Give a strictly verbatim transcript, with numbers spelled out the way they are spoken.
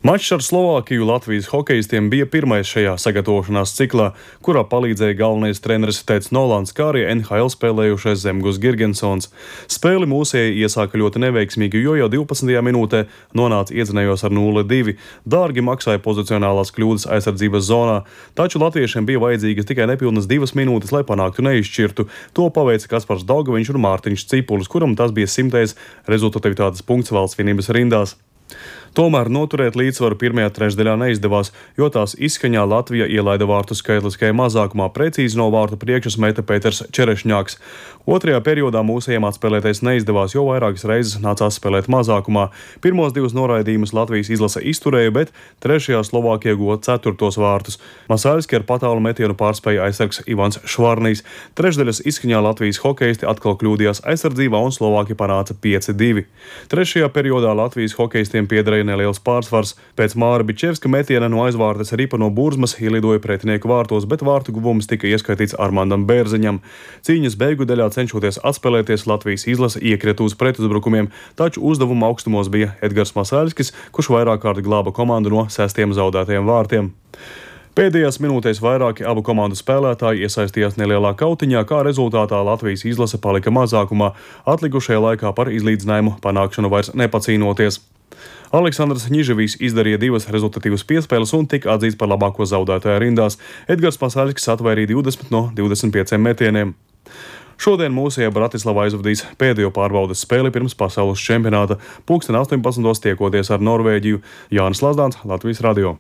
Mačs ar Slovākiju Latvijas hokejistiem bija pirmais šajā sagatavošanās ciklā, kurā palīdzēja galvenais treneris Teds Nolans, kā arī N H L spēlējušais Zemgus Girgensons. Spēli mūsēji iesāka ļoti neveiksmīgi, jo jau divpadsmitajā minūtē nonāca iedzinējos ar nulle divi. Dārgi maksāja pozicionālās kļūdas aizsardzības zonā, taču latviešiem bija vajadzīgas tikai nepilnas divas minūtes, lai panāktu neizšķirtu. To paveica Kaspars Daugaviņš un Mārtiņš Cipulis, kuram tas bija simtais rezultatīvitātes punkts valsts vienības rindās. Tomēr noturēt līdzsvaru pirmajā trešdaļā neizdevās, jo tās izskaņā Latvija ielaida vārtu skaitliskajā mazākumā, precīzi no vārtu priekšas meta Pēters Čerešņāks. Otrajā periodā mūsējiem atspēlēties neizdevās, jo vairākas reizes nācās spēlēt mazākumā. Pirmos divus noraidījumus Latvijas izlase izturēja, bet trešajā Slovākija guva ceturtos vārtus. Masaļski ar patālu metienu pārspēja aizsargs Ivans Švarnijs. Trešdaļas izskaņā Latvijas hokejisti atkal kļūdījās aizsardzībā un Slovāki panāca pieci divi. Trešajā periodā Latvijas hokejistiem piederēja neliels pārsvars. Pēc Māra Bičevska metiena no aizvārtes ripa no burzmas ielidoja pretinieku vārtos, bet vārtu guvums tika ieskaitīts Armandam Bērziņam. Cīņas beigu daļā cenšoties atspēlēties, Latvijas izlase iekrita uz pretuzbrukumiem, taču uzdevuma augstumos bija Edgars Masaļskis, kurš vairāk kārt glāba komandu no sestiem zaudētajiem vārtiem. Pēdējās minūtēs vairāki abu komandu spēlētāji iesaistījās nelielā kautiņā, kā rezultātā Latvijas izlase palika mazākumā, atlikušajā laikā par izlīdzinājumu panākšanu vairs nepacīnoties. Aleksandrs Ņiževijs izdarīja divas rezultatīvas piespēles un tika atzīts par labāko zaudētāju rindās. Edgars Masaļskis atvairīja divdesmit no divdesmit pieciem metieniem. Šodien mūsējā Bratislavā aizvadīs pēdējo pārbaudes spēli pirms pasaules čempionāta. Pulksten astoņpadsmitos tiekoties ar Norvēģiju. Jānis Lazdāns, Latvijas radio.